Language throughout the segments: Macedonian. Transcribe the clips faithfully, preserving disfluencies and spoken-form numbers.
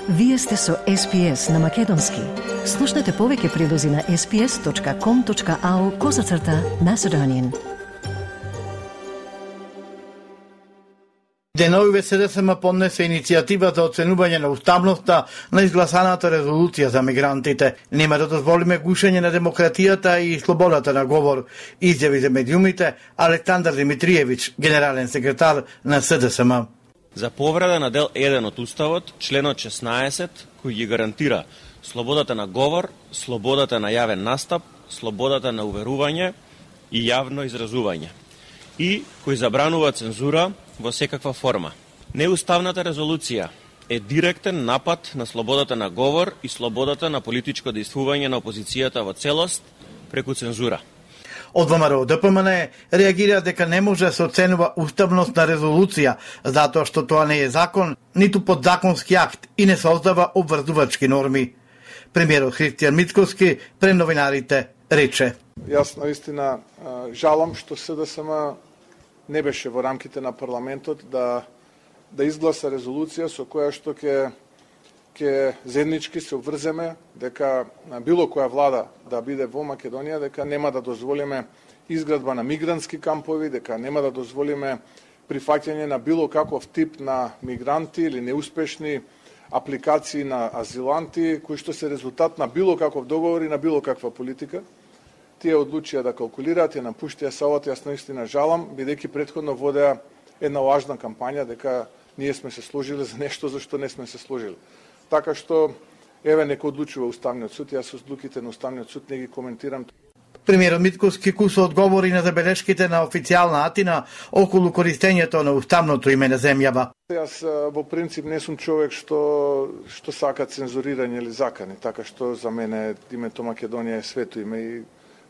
Вие сте со Ес Пи Ес на Македонски. Слушнете повеќе прилози на ес пи ес точка ком точка ау козацрта Macedonian. Деновиве Се Де Ес Ем поднесе иницијатива за оценување на уставноста на изгласаната резолуција за мигрантите. Нема да дозволиме гушење на демократијата и слободата на говор, изјави за медиумите Александар Димитриевич, генерален секретар на Се Де Ес Ем. За повреда на дел еден од Уставот, членот шеснаесет, кој ги гарантира слободата на говор, слободата на јавен настап, слободата на уверување и јавно изразување, и кој забранува цензура во секаква форма. Неуставната резолуција е директен напад на слободата на говор и слободата на политичко действување на опозицијата во целост преку цензура. Од Вэ Ем Ар О Д П М Н реагира дека не може да се оценува уставност на резолуција, затоа што тоа не е закон, ниту подзаконски акт и не создава обврзувачки норми. Премиерот Христијан Мицкоски пред новинарите рече: Јас наистина жалам што Се Де Ес Ем не беше во рамките на парламентот да да изгласа резолуција со која што ќе ќе заеднички се обврземе дека било која влада да биде во Македонија, дека нема да дозволиме изградба на мигрантски кампови, дека нема да дозволиме прифаќање на било каков тип на мигранти или неуспешни апликации на азиланти, кои што се резултат на било каков договор и на било каква политика. Тие одлучија да калкулираат и напуштија Савот. Јас наистина жалам, бидејќи претходно водеа една важна кампања дека ние сме се сложили за нешто за што не сме се сложили. Така што, еве, нека одлучува Уставниот суд, јас со одлуките на Уставниот суд не ги коментирам. Премиерот Мицкоски кусо одговори на забелешките на официјална Атина околу користењето на уставното име на земјава. Јас во принцип не сум човек што што сака цензурирање или закани, така што за мене името Македонија е свето име и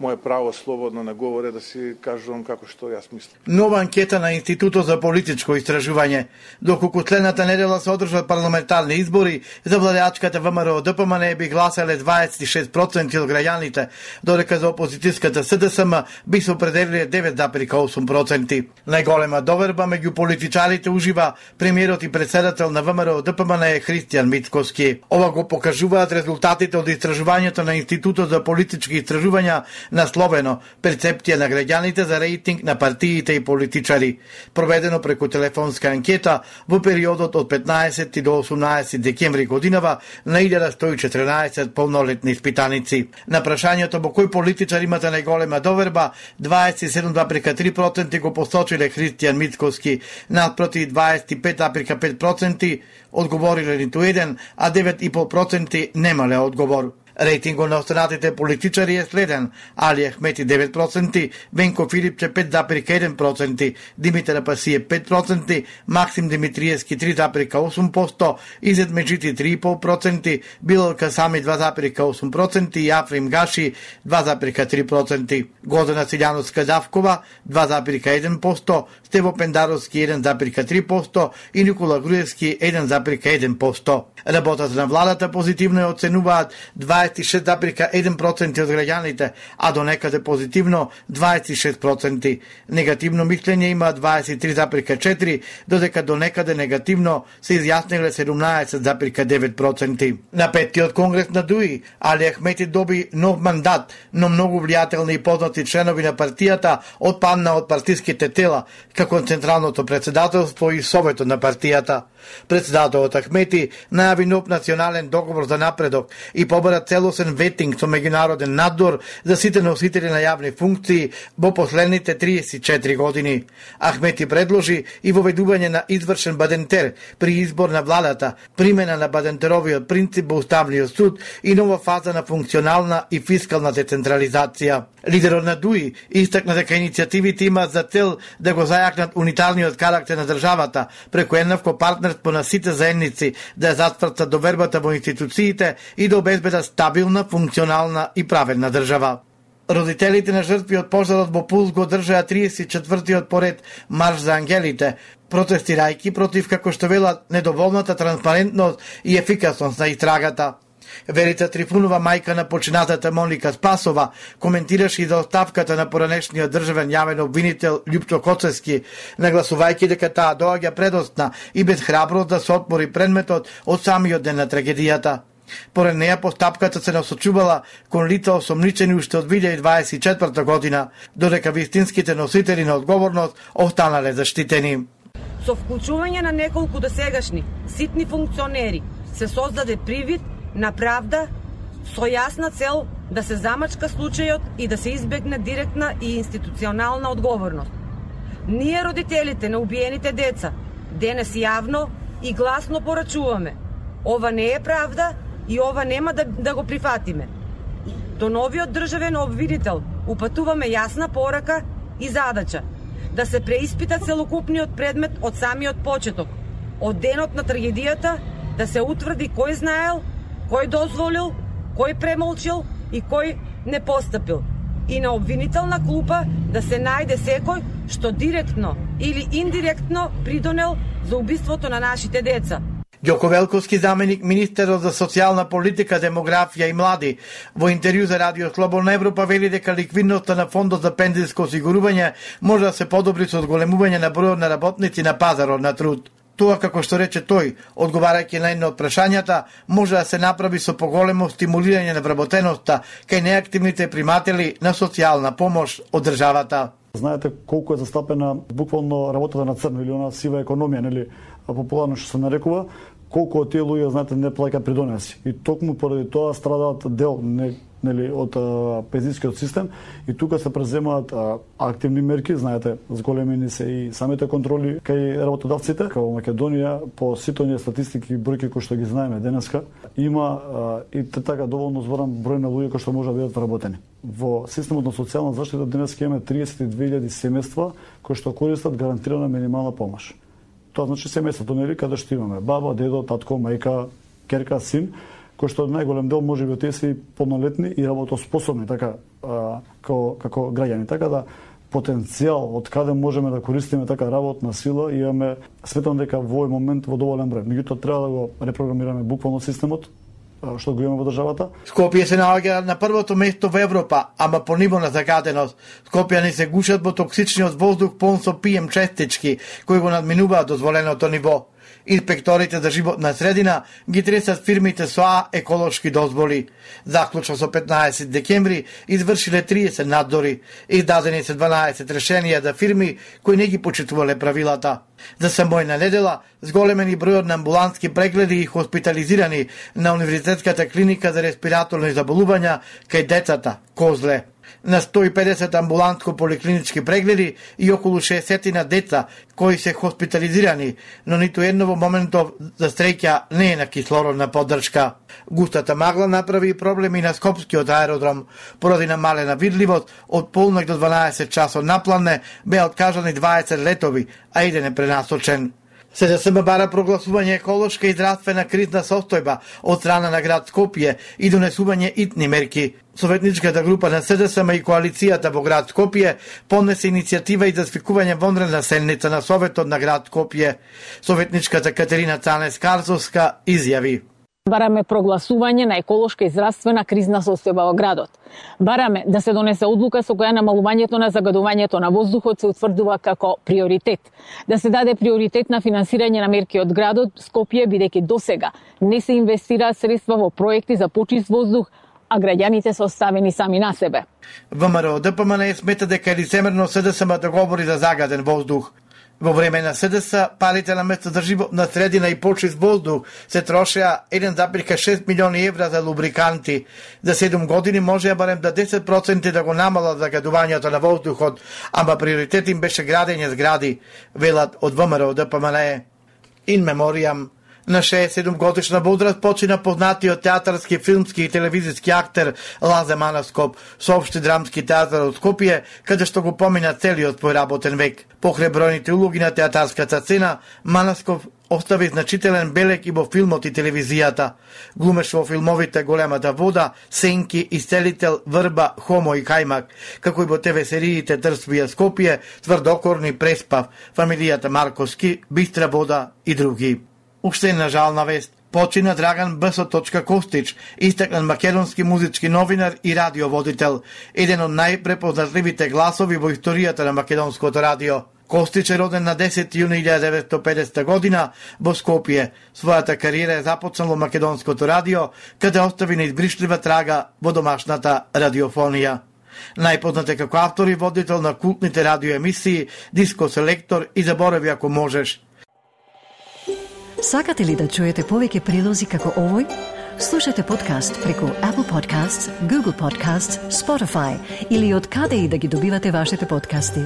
моје право слободно на говор е да си кажувам како што јас мислам. Нова анкета на Институтот за политичко истражување. Доколку следната недела се одржат парламентарни избори, за владеачката Вэ Ем Ар О Д П М Н би гласале дваесет и шест проценти од граѓаните, додека за опозицијската Се Де Ес Ем би се определиле девет зарез и осум проценти. Најголема доверба меѓу политичарите ужива премиерот и председател на Вэ Ем Ар О Д П М Н е Христијан Мицкоски. Ова го покажуваат резултатите од истражувањето на Институтот за политички истражувања насловено перцепција на граѓаните за рейтинг на партиите и политичари, проведено преку телефонска анкета во периодот од петнаесети до осумнаесети декември годинава на илјада сто и четрнаесет полнолетни испитаници. На прашањето во кој политичар имате најголема доверба, дваесет и седум зарез три проценти го посочиле Христијан Мицкоски, наспроти дваесет и пет зарез пет проценти одговориле ниту еден, а девет и пет проценти немале одговор. Рейтингот на останатите политичари е следен: Али Ахмети девет проценти, Венко Филипче пет зарез еден проценти, Димитар Апасиев пет проценти, Максим Димитриевски три зарез осум проценти, Изет Меджити три и пет проценти, Билал Касами два зарез осум проценти и Африм Гаши два зарез три проценти. Годена Силјановска Давкова два зарез еден проценти, Стево Пендаровски еден зарез три проценти и Никола Груевски еден зарез еден проценти. Работата на владата позитивно ја оценуваат дваесет и шест зарез еден проценти од граѓаните, а до некаде позитивно дваесет и шест проценти. Негативно мислење има дваесет и три зарез четири, додека до некаде негативно се изјасниле седумнаесет зарез девет проценти. На петтиот конгрес на ДУИ, Али Ахмети доби нов мандат, но многу влијателни и познати членови на партијата отпадна од партиските тела, како Централното председателство и Советот на партијата. Председателот Ахмети најави нов национален договор за напредок и побара целосен ветинг со меѓународен надзор за сите носители на јавни функции во последните триесет и четири години. Ахмети предложи и воведување на извршен бадентер при избор на владата, примена на бадентеровиот принцип во Уставниот суд и нова фаза на функционална и фискална децентрализација. Лидерот на ДУИ истакна дека иницијативите имаат за цел да го зајакнат унитарниот карактер на државата преку еднакво партнерство на сите заедници, да ја затвртат довербата во институциите и да обезбедат стабилна, функционална и праведна држава. Родителите на жртви од пожарот во Пулс го држаа триесет и четвртиот поред марш за ангелите, протестирајќи против, како што велат, недоволната транспарентност и ефикасност на истрагата. Верица Трифунова, мајка на починатата Моника Спасова, коментираше и за оставката на поранешниот државен јавен обвинител Љупчо Коцевски, нагласувајќи дека таа доаѓа предосна и без храброст да се отмори предметот од самиот ден на трагедијата. Поред неја постапката се насочувала кон лица осомничени уште од две илјади дваесет и четврта година, додека вистинските носители на одговорност останале заштитени. Со вклучување на неколку досегашни ситни функционери се создаде привид на правда со јасна цел да се замачка случајот и да се избегне директна и институционална одговорност. Ние, родителите на убиените деца, денес јавно и гласно порачуваме: ова не е правда и ова нема да, да го прифатиме. До новиот државен обвинител упатуваме јасна порака и задача да се преиспита целокупниот предмет од самиот почеток, од денот на трагедијата, да се утврди кој знаел, кој дозволил, кој премолчил и кој не постапил. И на обвинителна клупа да се најде секој што директно или индиректно придонел за убиството на нашите деца. Ѓоко Велковски, заменик министерот за социјална политика, демографија и млади, во интервју за Радио Слободна Европа вели дека ликвидноста на фондот за пензијско осигурување може да се подобри со одголемување на бројот на работници на пазарот на труд. Тоа, како што рече тој, одговарајќи на едно од прашањата, може да се направи со поголемо стимулирање на вработеноста кај неактивните приматели на социјална помош од државата. Знаете колку е застапена буквално работата на црно или она сива економија, нели, популарно што се нарекува, колку од тие луѓе, знаете, не плаќаат придонеси. И токму поради тоа страдаат дел, не, нели, од пензискиот систем, и тука се преземаат а, активни мерки, знаете, зголемени се и самите контроли кај работодавците. Као Македонија, по сите оние статистики и бројки кои што ги знаеме денеска, има а, и така доволно зборам број на луѓе кои што може да бидат вработени. Во системот на социјална заштита денеска имаме триесет и две илјади семејства кои што користат гарантирана минимална помош. Тоа значи семејството, нели, каде што имаме баба, дедо, татко, мајка, керка, син, кои што најголем дел може би тие се полнолетни и работоспособни, така а, како, како граѓани. Така да потенцијал од каде можеме да користиме така работна сила имаме, сметам дека во овој момент во доволен број. Меѓутоа треба да го репрограмираме буквално системот што го имаме во државата. Скопје се наоѓа на првото место во Европа, ама по ниво на загаденост. Скопјани се гушат во токсичниот воздух полн со пи ем честички, кои го надминуваат дозволеното ниво. Инспекторите за животна средина ги тресат фирмите со А еколошки дозволи. Заклучно со петнаесет декември извршиле триесет надзори. Издадени се дванаесет решенија за фирми кои не ги почитувале правилата. За самојна недела зголемени бројот на амбулантски прегледи и хоспитализирани на Универзитетската клиника за респираторни заболувања кај децата Козле. На сто и педесет амбулантско-поликлинички прегледи и околу шеесет на деца кои се хоспитализирани, но ниту едно во моментов за среќа не е на кислородна поддршка. Густата магла направи проблеми на Скопскиот аеродром. Поради намалена видливост, од полнок до дванаесет часот напланне беа откажани дваесет летови, а еден е пренасочен. СДСМ бара прогласување еколошка и здравствена кризна состојба од страна на град Скопје и донесување итни мерки. Советничката група на СДСМ и коалицијата во град Скопје поднесе иницијатива и за свикување вонредна седница на Советот на град Скопје. Советничката Катерина Цанес-Карзовска изјави: Бараме прогласување на еколошка и здравствена кризна состојба во градот. Бараме да се донесе одлука со која намалувањето на загадувањето на воздухот се утврдува како приоритет. Да се даде приоритет на финансирање на мерки од градот Скопје, бидејќи досега не се инвестираат средства во проекти за почист воздух, а граѓаните се оставени сами на себе. ВМРО ДПМН смета дека е лицемерно СДСМ да говори за загаден воздух. Во време на СДС, парите на место за животна средина и почист воздух се трошеа еден зарез шест милиони евра за лубриканти. За седум години можеа барем да десет проценти да го намалат загадувањето на воздухот, ама приоритет им беше градење згради, велат од ВМРО ДПМН. In memoriam. На шеесет и седум годишна возраст почина познатиот театарски, филмски и телевизиски актер Лазе Манаскоп, соопшти драмски театар од Скопје, каде што го помина целиот свој работен век. Покрај бројните улоги на театарската сцена, Манаскоп остави значителен белег и во филмот и телевизијата. Глумеше во филмовите Големата вода, Сенки, Исцелител, Врба, Хомо и Кајмак, како и во те ве сериите Трствија Скопје, Тврдокорни, Преспав, Фамилијата Марковски, Бистра вода и други. Уште една жална вест. Почина Драган Б С. Костич, истакнат македонски музички новинар и радиоводител, еден од најпрепознатливите гласови во историјата на македонското радио. Костич е роден на десети јуни илјадесет и деветстотини и педесета година во Скопје. Својата кариера е започнал во македонското радио, каде остави неизбришлива трага во домашната радиофонија. Најпознат е како автор и водител на култните радиоемисии Диско Селектор и Заборави ако можеш. Сакате ли да чуете повеќе прилози како овој? Слушате подкаст преку Apple Podcasts, Google Podcasts, Spotify или од каде и да ги добивате вашите подкасти.